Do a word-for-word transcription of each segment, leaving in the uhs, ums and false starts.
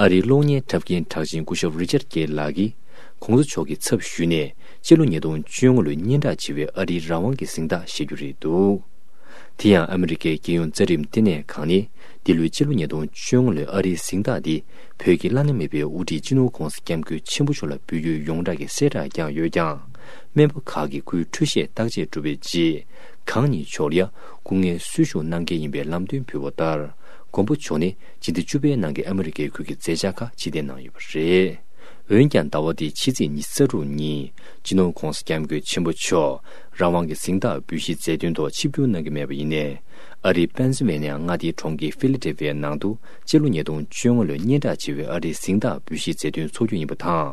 ཨ་རིའི་གློག་བརྙན་འཁྲབ་མཁན་གྲགས་ཅན་སྐུ་ཞབས་རི་ཅར་ཀེ་ལགས་ཀྱིས་གོང་ས་མཆོག་གི་ཚབ་ཞུས་ནས་སྤྱི་ལོ་ཉིས་སྟོང་བཅོ་ལྔ་ལོའི་སྙན་གྲགས་ཆེ་བའི་ཨ་རིའི་རང་དབང་གི་གཟེངས་རྟགས་བཞེས་རྒྱུ་རེད་འདུག་དེ་ཡང་ཨ་མི་རི་ཀའི་རྒྱལ་ཡོངས་རྩ་ཁྲིམས་ལྟེ་གནས་ཁང་ནས་འདི་ལོའི་སྤྱི་ལོ་ཉིས་སྟོང་བཅོ་ལྔ་ལོའི་ཨ་རིའི་གཟེངས་རྟགས་འདི་བོད་ཀྱི་བླ་ན་མེད་པའི་དབུ་ཁྲིད་སྤྱི་ནོར་༧གོང་ས་༧སྐྱབས་མགོན་ཆེན་པོ་མཆོག་ལ་འབུལ་རྒྱུའི་ཡོངས་གྲགས་ཀྱི་གསལ་བསྒྲགས་བསྐྱངས་ཡོད་ཀྱང་། སྨན་པ་ཁག་གིས་ཁོའི་འཕྲོད་བཞེས་བརྟག་དཔྱད་གྲུབ་པའི་རྗེས། གང་ཉིད་མཆོག་ལ་ཡང་སྐུ་ངལ་གསོ་བཞུགས་གནང་གལ་ཡིན་པའི་ལམ་སྟོན་ཕུལ་བ་ལྟར། མགོན་པོ་མཆོག་ནི་སྤྱི་ཟླ་བཅུ་པའི་ནང་གི་ཨ་མི་རི་ཀའི་ཁུལ་གྱི་མཛད་འཆར་ཁག་ཕྱིར་འཐེན་གནང་ཡོད་པ་རེད། འོན་ཀྱང་ཟླ་བ་འདིའི་ཕྱི་ཚེས་ཉི་ཤུ་རྩ་དྲུག་ཉིན། སྤྱི་ནོར་༧གོང་ས་༧སྐྱབས་མགོན་ཆེན་པོ་མཆོག་རང་དབང་གི་གཟེངས་རྟགས་འབུལ་བཞེས་མཛད་དོན་ཐོག་ཆིབས་བསྒྱུར་གནང་གི་མེད་པ་ཡིན་ནའི། ཨ་རིའི་པེན་སིལ་ཝེ་ནི་ཡ་མངའ་སྡེའི་གྲོང་ཁྱེར་ཧྥི་ལི་ཏེལ་ཧྥི་ཡའི་ནང་དུ་སྤྱི་ལོ་ཉིས་སྟོང་བཅོ་ལྔ་ལོའི་སྙན་གྲགས་ཆེ་བའི་ཨ་རིའི་གཟེངས་རྟགས་འབུལ་བཞེས་མཛད་དོན་འཚོགས་རྒྱུ་ཡིན་པ་དང་།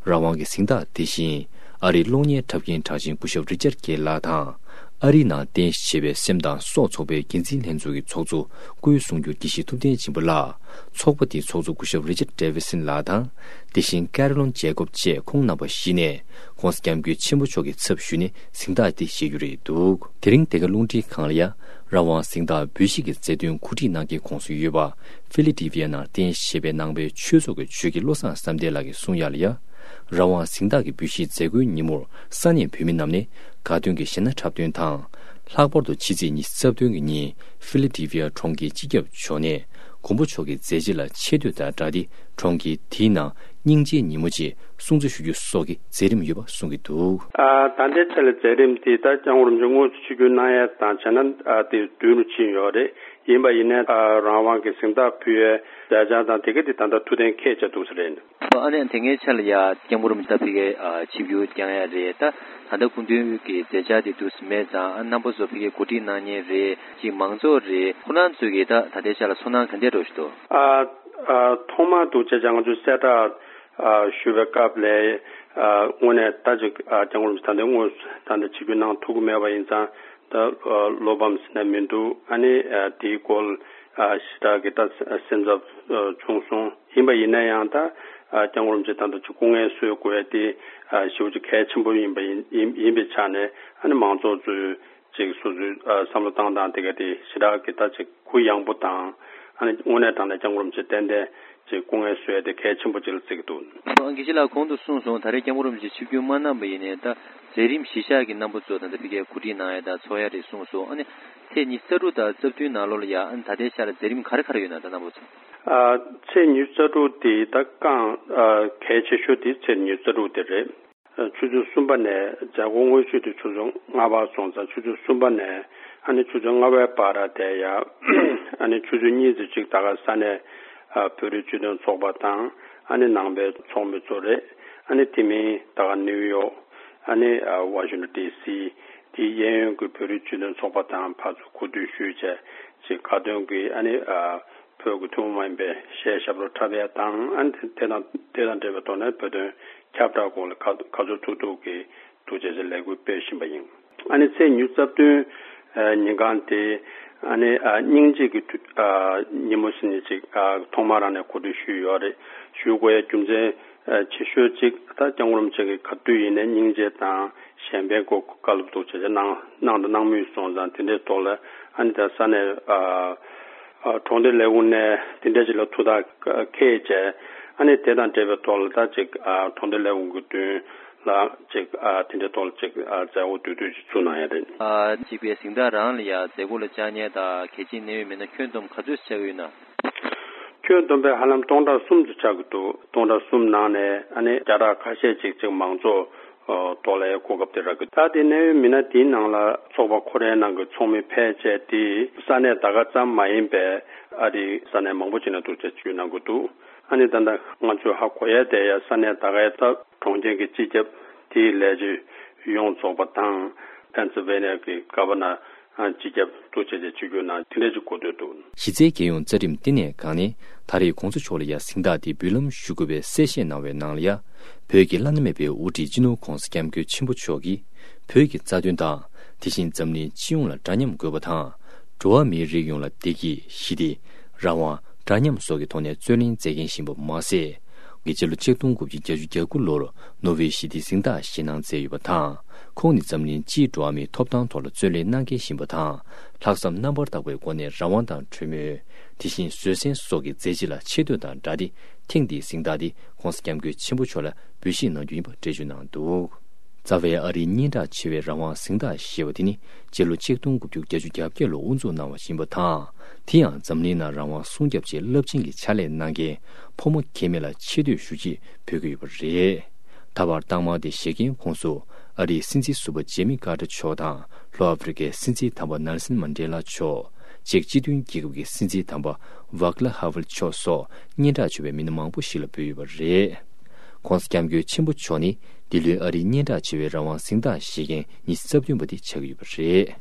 རང་དབང་གི་གཟེངས་རྟགས་དེ་བཞིན། ཨ་རིའི་གློག་བརྙན་འཁྲབ་མཁན་གྲགས་ཅན་སྐུ་ཞབས་རི་ཅར་ཀེ་ལགས་དང་། ཨ་རིའི་ནང་རྟེན་གཞི་བྱས་པའི་སེམས་དང་སྲོག་ཚོགས་པའི་འགན་འཛིན་ལྷན་ཚོགས་ཀྱི་ཚོགས་གཙོ་སྐུའི་གསུང་སྒྱུར་དགེ་བཤེས་ཐུབ་བསྟན་ཆེན་པོ་ལགས། ཚོགས་པ་དེའི་ཚོགས་གཙོ་སྐུ་ཞབས་རི་ཅར་ཌེ་ཝི་སན་ལགས་དང་། དེ་བཞིན་ཀེ་རོ་ལིན་ཇེ་ཀོབ་བཅས་ཁོང་རྣམ་པ་བཞི་ནས་༧གོང་ས་༧སྐྱབས་མགོན་ཆེན་པོ་མཆོག་གི་ཚབ་ཞུས་ནས་གཟེངས་རྟགས་དེ་བཞེས་རྒྱུ་རེད་འདུག་དེ་རིང་འདི་ག་རླུང་འཕྲིན་ཁང་ལ་ཡང་རང་དབང་གཟེངས་རྟགས་འབུལ་བཞེས་ཀྱི་མཛད་དོན་གོ་སྒྲིག་གནང་མཁན་ཁོངས་སུ་ཡོད་པ། ཧྥི་ལི་ཏི་ཕི་ཡ་ནང་རྟེན་གཞི་བྱས་པའི་ནང་པའི་ཆོས་ཚོགས་ཀྱི་ཆོས་དགེ་བློ་བཟང་བསམ་གཏན་ལགས་ཀྱིས་གསུངས་ཡ་ལ་ཡ། རང་དབང་གཟེངས་རྟགས་ཀྱི་འབུལ་བཞེས་མཛད་སྒོའི་ཉིན་མོར་ས་གནས་བོད་མི་རྣམས་ནས་དགའ་སྟོན་གྱི་གཞས་སྣ་འཁྲབ་སྟོན་དང་། ལྷག་པར་དུ་ཕྱི་ཚེས་ཉི་ཤུ་རྩ་བདུན་གྱི་ཉིན་ཧྥི་ལི་ཏི་ཕི་ཡ་གྲོང་ཁྱེར་སྤྱི་ཁྱབ་མཆོག་ནས་མགོན་པོ་མཆོག་གི་མཛད་རྗེས་ལ་ཆེ་བསྟོད་དང་སྦྲགས་ཏེ་གྲོང་ཁྱེར་དེའི་ནང་སྙིང་རྗེའི་ཉིན་མོ་ཅེས་སྲུང་བརྩི་ཞུ་རྒྱུ་སོགས་ཀྱི་མཛད་རིམ་ཡོད་པ་གསུང་གི་འདུག་ཨ། ད་ལྟའི་ཆ་ལ་མཛད་རིམ་དེ་ད་སྐྱབས་མགོན་རིན་པོ་ཆེ་དངོས་སུ་ཆིབས་བསྒྱུར་གནང་ཡས་དང་བྱས་ན་ཨ་དེ་མདུན་རུ་ཕྱིན་ཡོད་རེད། ཡིན་པ་ཡིན་ནའི་ཨ་རང་དབང་གི་གཟེངས་རྟགས་ཕུལ་ཡས་མཛད་འཆར་དང་དེ་ག་དེ་ད་ལྟ་ཐུགས་གཏན་འཁེལ་བྱས་འདུག་ས་རེད། ཨ་ནི་དེ་སྔའི་ཆ་ལ་ཡ་སྐྱབས་མགོན་རིན་པོ་ཆེ་ད་ཕ་གིར་ཨ་ཆིབས་བསྒྱུར་བསྐྱངས་ཡ་རེད། ད་ད་ལྟ་སྐུ་མདུན་གྱི་མཛད་འཆར་དེ་འདུག་སེ་མེད་ཙང་ཨ་རྣམ་པ་ཚོ་ཕ་གིར་གོ་སྒྲིག་གནང་མཁན་རེད། ཅིག་མང་ཚོགས་རེད། ཁོ་རང་ཚོས་ཀྱིས་ད་ད་ལྟའི་ཆ་ལ་ཚོར་སྣང་ག་འདྲས་འདྲ་ཞིག་འདུག་ཨ། ཨ། ཐོག་མར་འདུག་བྱས་ཙང་ང་ཚོས་གསལ་བསྒྲགས་ཨ་ཞུ་བའི་སྐབས་ལ་ཨ་དངོས་གནས་ད་ཅིག་ཨ་སྐྱབས་མགོན་རིན་པོ་ཆེ་ད་ལྟ་དངོས་སུ་ད་ལྟ་ཆིབས་བསྒྱུར་གནང་ཐུབ་ཀྱི་མེད་པ་ཡིན་ཙང་ད་ཨ་བློ་ཕམ་ཟེར་ན་མི་འདུག་ཨ་ནི་ཨ་དེའི་སྐོར་ཨ་ཞེ་དྲག་གི་ད་སེམས་འཚབ་ཨ་བྱུང་སོང་། ཡིན་པ་ཡིན་ན་ཡང་ད་ཨ་སྐྱབས་མགོན་རིན་པོ་ཆེ་ད་ལྟ་ཅིག་སྐུ་ངལ་གསོ་དགོས་ཡ་དེ་ཨ་ཞེ་པོ་ཅིག་གལ་ཆེན་པོ་ཡིན་པ་ཡིན་ཡིན་ཡིན་པའི་ཆ་ནས་ཨ་ནི་མང་ཚོགས་ཚོས། ཅིག་སོ་སོའི་ཨ་བསམ་བློ་བཏང་སྟངས་དེ་ག་དེ་ཞེ་དྲག་གི་ད་ཅིག་གུ་ཡངས་པོ་དང་ཨ་ནི་དངོས་གནས་དྲང་གནས་སྐྱབས་མགོན་རིན་པོ་ཆེ་ཏན་ཏན་ཅིག་སྐུ་ངལ་གསོ་ཡ་དེ་གལ་ཆེན་པོ་ཅིག་ལ་བརྩི་གི་འདུག་ཨ་དགེ་བཤེས་ལགས་གོང་དུ་གསུངས་སོང་། ད་རེས་སྐྱབས་མགོན་རིན་པོ་ཆེ་ཆིབས་བསྒྱུར་མ་གནང་པ་ཡིན་ནའི་ད་མཛད་རིམ་གཞི་བཞག་གི་རྣམ་པ་ཚོ་ད་ལྟ་ཕ་གིར་གོ་སྒྲིག་གནང་ཡ་ད་ཚོགས་ཡ་རེད་གསུངས་སོང་། ཨ་ནི་ཚེས་ཉི་ཤུ་རྩ་དྲུག་དང་རྩ་བདུན་ནང་ལོགས་ལ་ཡ་ཨ་ནི་ད་ལྟའི་ཆ་ལ་མཛད་རིམ་ག་རེ་ག་རེ་ཡོད་ན་ད་རྣམ་པ་ཚོ། ཨ་ཚེས་ཉི་ཤུ་རྩ་དྲུག་དེ་ད་རྐང་ཨ་གལ་ཆེ་ཤོས་དེ་ཚེས་ཉི་ཤུ་རྩ་དྲུག་དེ་རེད། ཆུ་ཚོད་གསུམ་པ་ནས་མཛད་སྒོ་དངོས་གཞི་དེ་ཆུ་ཚོད་ལྔ་པ་སོང་ཙང་ཆུ་ཚོད་གསུམ་པ་ནས་ཨ་ནི་ཆུ་ཚོད་ལྔ་པའི་བར་དེ་ཡ་ཨ་ནི་ཆུ་ཚོད་གཉིས་ཙམ་ཅིག་ད་ག་ས་གནས་ཨ་བོད་རིགས་སྤྱི་མཐུན་ཚོགས་པ་དང་ཨ་ནི་ནང་པའི་ཚོགས་མི་ཚོ་རེད། ཨ་ནི་དེ་མིན་ད་ག་ནིའུ་ཡོག་ཨ་ནི་ཨ་ཝ་ཤིང་ཊོན་ཌི་སི་དེའི་གཡས་གཡོན་གྱི་བོད་རིགས་སྤྱི་མཐུན་ཚོགས་པ་དང་ཕར་ཚུར་གོ་བསྡུར་ཞུས་བྱས་ཅིག་དགའ་སྟོན་གྱི་ཨ་ནི་ཨ། བོད་ཀྱི་ཐུན་མོང་མ་ཡིན་པའི་གཞས་ཞབས་བྲོ་འཁྲབ་ཡ་དང་ཨ་ནི་དེ་དང་དེ་དང་འབྲེལ་བའི་ཐོག་ནས་བོད་དོན་ཁྱབ་བསྒྲགས་སྐོར་ལ་ག་ག་ཚོད་ཐུབ་ཐུབ་ཀྱིས་འདུག་བྱས་ཚེ་ལས་འགུལ་སྤེལ་བཞིན་པ་ཡིན། ཨ་ནི་ཚེས་ཉི་ཤུ་རྩ་བདུན་ཨ་ཉིན་གང་དེ་ཨ་ནི་ཨ་སྙིང་རྗེ་གི་དུས་ཨ་ཉིན་མོ་ཟེར་ནས་ཅིག་ཨ་ཐོག་མ་རང་ནས་གོ་སྒྲིག་ཞུས་ཡོད་རེད། ཞུ་དགོས་ཡ་རྒྱུ་མཚན་ཨ་ཆེ་ཤོས་ཅིག་ད་སྐྱབས་མགོན་རིན་པོ་ཆེ་གིས་ག་དུས་ཡིན་ནའི་སྙིང་རྗེ་དང་གཞན་ཕན་སྐོར་བཀའ་སློབ་འདུག་བྱས་ཚེ་གནང་གནང་དང་གནང་མུས་སོང་ཙང་དེ་འདྲའི་ཐོག་ལ་ཨ་ནི་ད་ས་གནས་ཨ། ཨ་གྲོང་སྡེ་ལས་ཁུངས་ནས་དེ་འདྲ་ཅིག་ལ་ཐུགས་ཐག་འཁེལ་བྱས་ཨ་ནི་དེ་དང་འབྲེལ་བའི་ཐོག་ལ་ད་ཅིག་ཨ་གྲོང་སྡེ་ལས་ཁུངས་ཀྱི་མདུན་ལ་ཅིག་ཨ་དེ་འདྲའི་ཐོག་ལ་ཅིག་ཨ་མཛད་སྒོ་དུས་དུས་ཅིག་ཚུགས་གནང་ཡ་རེད། ཨ་གཅིག་པའི་གཟེངས་རྟགས་རང་ལ་ཡ་མཛད་སྒོ་ལ་བཅར་མཁན་དང་གལ་ཆེའི་གནད་ཡོད་མི་སྣ་ཁྱོན་བསྡོམས་ག་ཚོད་ཆགས་ཀྱི་ཡོད་ན། ཁྱོན་བསྡོམས་པས་ཧ་ལམ་སྟོང་ཕྲག་གསུམ་ཙམ་ཆགས་ཀྱི་འདུག་སྟོང་ཕྲག་གསུམ་ནང་ནས་ཨ་ནི་བརྒྱ་ཕྲག་ཁ་ཤས་ཅིག་ཅིག་མང་ཚོགས་ཐོག་ལ་གོ་སྐབས་དེ་རག་གི། ད་དེ་གནད་ཡོད་མི་སྣ་དེའི་ནང་ལ་ཚོགས་པ་ཁོ་རའི་ནང་གི་ཚོགས་མི་ཕལ་ཆེར་དེ་ས་གནས་ད་ག་ཙམ་མ་ཡིན་པའི་ཨ་རིའི་ས་གནས་མང་པོ་ཅིག་ནས་འདུག་ཅེས་བརྗོད་གནང་གི་འདུག་ཨ་ནི་ད་ལྟ་ང་ཚོས་ཧ་གོ་ཡས་དེ་ཡ་ས་གནས་ད་ག་ཡ་ད་གྲོང་ཁྱེར་གྱི་སྤྱི་ཁྱབ་དེའི་ལས་བྱེད་ཡོངས་རྫོགས་པ་དང་ཕེན་སིལ་ཝེ་ནི་ཡ་གི་གྷ་བ་ནར་སྤྱི་ཁྱབ་འདུག་ཅེས་ཀྱི་ཆིབས་བསྒྱུར་གནང་དེ་འདྲ་ཅིག་གོ་ཐོས་འདུག་གཞི་རྩའི་རྒྱལ་ཡོངས་རྩ་ཁྲིམས་བསྟི་གནས་ཁང་ནས་ད་རེས་གོང་ས་མཆོག་ལ་ཡ་གཟེངས་རྟགས་འདི་འབུལ་ལམ་ཞུ་དགོས་པའི་གསལ་བཤད་གནང་བའི་ནང་ལ་ཡ། བོད་ཀྱི་བླ་ན་མེད་པའི་དབུ་ཁྲིད་སྤྱི་ནོར་༧གོང་ས་༧སྐྱབས་མགོན་ཆེན་པོ་མཆོག་གིས་བོད་ཀྱི་རྩ་དོན་དང་དེ་བཞིན་འཛམ་གླིང་སྤྱི་ཡོངས་ལ་འདྲ་མཉམ་དགོས་པ་དང་། འགྲོ་བ་མིའི་རིགས་ཡོངས་ལ་བདེ་སྐྱིད་ཞི་བདེ་རང་དབང་འདྲ་མཉམ་སོགས་ཀྱི་ཐོག་ནས་རྩོད་ལེན་མཛད་མཁན་ཞིག་ཡིན་པ་མ་ཟད། གིས་སྤྱི་ལོ་ཆིག་སྟོང་དགུ་བརྒྱ་བརྒྱད་ཅུ་གྱ་དགུ་ལོར་ནོར་ཝེ་ཞི་བདེའི་གཟེངས་རྟགས་བཞེས་གནང་མཛད་ཡོད་པ་དང་། ཁོང་ནི་འཛམ་གླིང་སྤྱིའི་འགྲོ་བ་མིའི་ཐོབ་ཐང་ཐོག་ལ་རྩོད་ལེན་གནང་མཁན་ཞིག་ཡིན་པ་དང་། ལྷག་བསམ་རྣམ་པར་དག་པའི་སྒོ་ནས་རང་དབང་དང་གྲོས་མོལ། དེ་བཞིན་བཟོད་བསྲན་སོགས་ཀྱི་མཛད་རྗེས་ལ་ཆེ་བསྟོད་དང་སྦྲགས་ཏེ། ཐེངས་འདིའི་གཟེངས་རྟགས་འདི་༸གོང་ས་༸སྐྱབས་མགོན་ཆེན་པོ་མཆོག་ལ་འབུལ་བཞེས་གནང་རྒྱུ་ཡིན་པ་འགྲེལ་བརྗོད་གནང་འདུག། རྩ་བའི་ཨ་རིའི་སྙན་གྲགས་ཆེ་བའི་རང་དབང་གཟེངས་རྟགས་ཞེས་པ་དེ་ནི་སྤྱི་ལོ་ཆིག་སྟོང་དགུ་བརྒྱ་བརྒྱད་ཅུ་གྱ་བརྒྱད་ལོར་དབུ་འཛུགས་གནང་བ་ཞིག་ཡིན་པ་དང་། དེ་ཡང་འཛམ་གླིང་ནང་རང་དབང་སྲུང་སྐྱོབ་ཆེད་རླབས་ཆེན་གྱི་ཕྱག་ལས་གནང་མཁན་ཕོ་མོ་གེ་མོ་ལ་ཆེ་བསྟོད་ཞུ་ཆེད་ཕུལ་གྱི་ཡོད་པ་རེད། ད་བར་རྟགས་མ་དེ་བཞེས་མཁན་ཁོངས་སུ་ཨ་རིའི་སྲིད་འཛིན་ཟུར་པ་ཇེ་མི་ཀར་ཏར་མཆོག་དང་། ལྷོ་ཨ་ཧྥེ་རི་ཁའི་སྲིད་འཛིན་དམ་པ་ནེལ་སན་མན་ཌེ་ལ་མཆོག་ཅེཀ་སྤྱི་མཐུན་རྒྱལ་ཁབ་ཀྱི་སྲིད་འཛིན་དམ་པ་ཝག་ལ་ཧ་ཝལ་མཆོག་སོགས་སྙན་གྲགས་ཆེ་བའི་མི་སྣ་མང་པོ་ཞིག་ལ་འབུལ་ཡོད་པ་རེད། ༸གོང་ས་༸སྐྱབས་མགོན་ཆེན་པོ་མཆོག་ནི་འདི་ལོའི་ཨ་རིའི་སྙན་གྲགས་ཆེ་བའི་རང་དབང་གཟེངས་རྟགས་བཞེས་མཁན་ཉི་ཤུ་རྩ་བདུན་པ་དེ་ཆགས་ཀྱི་ཡོད་པ་རེད།